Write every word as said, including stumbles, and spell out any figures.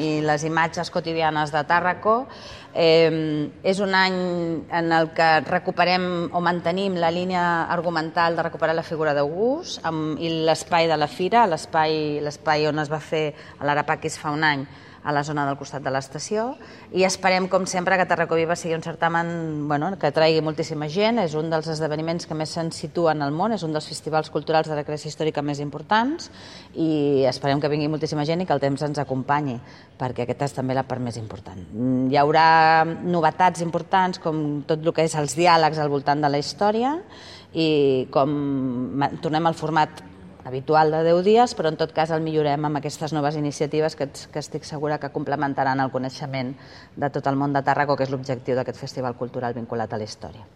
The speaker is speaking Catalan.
i les imatges quotidianes de Tàrraco. Eh, és un any en el que recuperem o mantenim la línia argumental de recuperar la figura d'August i l'espai de la fira, l'espai on es va fer a l'Arapaquis fa un any, a la zona del costat de l'estació, i esperem, com sempre, que Tàrraco Viva sigui un certamen que atraigui moltíssima gent. És un dels esdeveniments que més se'n situen al món, és un dels festivals culturals de recreació històrica més importants, i esperem que vingui moltíssima gent i que el temps ens acompanyi, perquè aquesta és també la part més important. Hi haurà novetats importants, com tot el que és els diàlegs al voltant de la història, i com tornem al format habitual de deu dies, però en tot cas el millorem amb aquestes noves iniciatives que estic segura que complementaran el coneixement de tot el món de Tàrraco, que és l'objectiu d'aquest festival cultural vinculat a la història.